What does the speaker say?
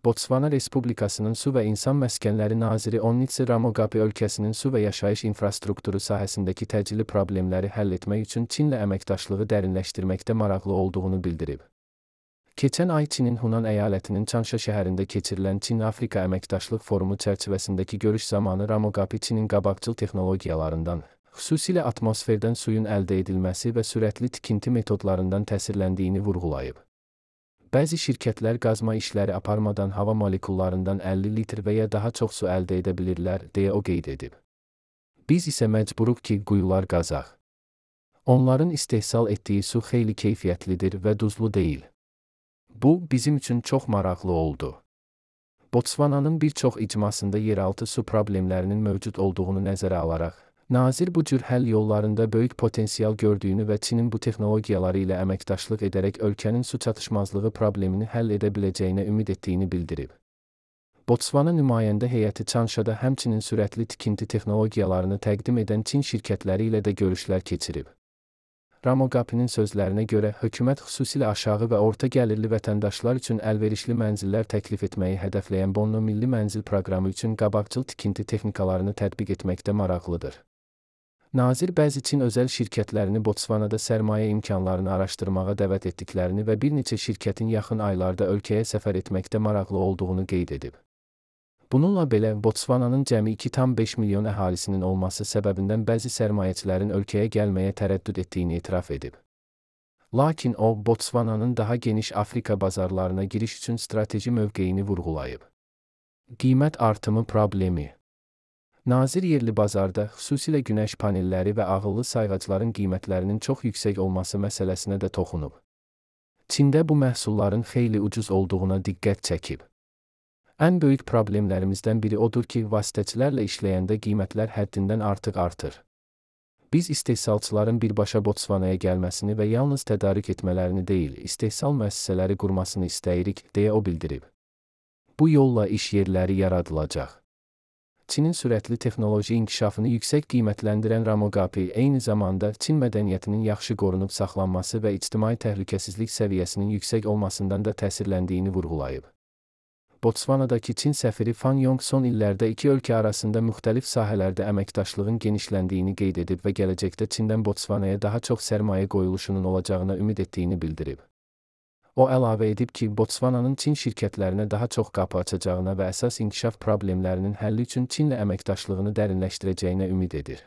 Botsvana Respublikasının Su və İnsan Məskənləri naziri Onnitsi Ramoqapi ölkəsinin su və yaşayış infrastrukturu sahəsindəki təcili problemləri həll etmək üçün Çinlə əməkdaşlığı dərinləşdirməkdə maraqlı olduğunu bildirib. Keçən ay Çinin Hunan əyalətinin Çanşa şəhərində keçirilən Çin-Afrika əməkdaşlıq forumu çərçivəsindəki görüş zamanı Ramoqapi Çinin qabaqcıl texnologiyalarından, xüsusilə atmosferdən suyun əldə edilməsi və sürətli tikinti metodlarından təsirləndiyini vurğulayıb. Bəzi şirkətlər qazma işləri aparmadan hava molekullarından 50 litr və ya daha çox su əldə edə bilirlər, deyə o qeyd edib. Biz isə məcburuq ki, quyular qazaq. Onların istehsal etdiyi su xeyli keyfiyyətlidir və duzlu deyil. Bu, bizim üçün çox maraqlı oldu. Botsvananın bir çox icmasında yeraltı su problemlərinin mövcud olduğunu nəzərə alaraq, nazir bu cür həll yollarında böyük potensial gördüyünü və Çinin bu texnologiyaları ilə əməkdaşlıq edərək ölkənin su çatışmazlığı problemini həll edə biləcəyinə ümid etdiyini bildirib. Botsvana nümayəndə heyəti Çanşada həmçinin sürətli tikinti texnologiyalarını təqdim edən Çin şirkətləri ilə də görüşlər keçirib. Ramoqapinin sözlərinə görə, hökumət xüsusilə aşağı və orta gəlirli vətəndaşlar üçün əlverişli mənzillər təklif etməyi hədəfləyən Bonno Milli Mənzil proqramı üçün qabaqcıl tikinti texnikalarını tətbiq etməkdə maraqlıdır. Nazir bəzi Çin özəl şirkətlərini Botsvanada sərmayə imkanlarını araşdırmağa dəvət etdiklərini və bir neçə şirkətin yaxın aylarda ölkəyə səfər etməkdə maraqlı olduğunu qeyd edib. Bununla belə, Botsvananın cəmi 2,5 milyon əhalisinin olması səbəbindən bəzi sərmayəçilərin ölkəyə gəlməyə tərəddüd etdiyini etiraf edib. Lakin o, Botsvananın daha geniş Afrika bazarlarına giriş üçün strateji mövqeyini vurğulayıb. Qiymət artımı problemi. Nazir yerli bazarda, xüsusilə günəş panelləri və ağıllı sayğacların qiymətlərinin çox yüksək olması məsələsinə də toxunub. Çində bu məhsulların xeyli ucuz olduğuna diqqət çəkib. Ən böyük problemlərimizdən biri odur ki, vasitəçilərlə işləyəndə qiymətlər həddindən artıq artır. Biz istehsalçıların birbaşa Botsvanaya gəlməsini və yalnız tədarük etmələrini deyil, istehsal müəssisələri qurmasını istəyirik, deyə o bildirib. Bu yolla iş yerləri yaradılacaq. Çinin sürətli texnoloji inkişafını yüksək qiymətləndirən Ramoqapi, eyni zamanda Çin mədəniyyətinin yaxşı qorunub saxlanması və ictimai təhlükəsizlik səviyyəsinin yüksək olmasından da təsirləndiyini vurğulayıb. Botsvanadakı Çin səfiri Fan Yong son illərdə iki ölkə arasında müxtəlif sahələrdə əməkdaşlığın genişləndiyini qeyd edib və gələcəkdə Çindən Botsvanaya daha çox sərmayə qoyuluşunun olacağına ümid etdiyini bildirib. O əlavə edib ki, Botsvananın Çin şirkətlərinə daha çox qapı açacağına və əsas inkişaf problemlərinin həlli üçün Çinlə əməkdaşlığını dərinləşdirəcəyinə ümid edir.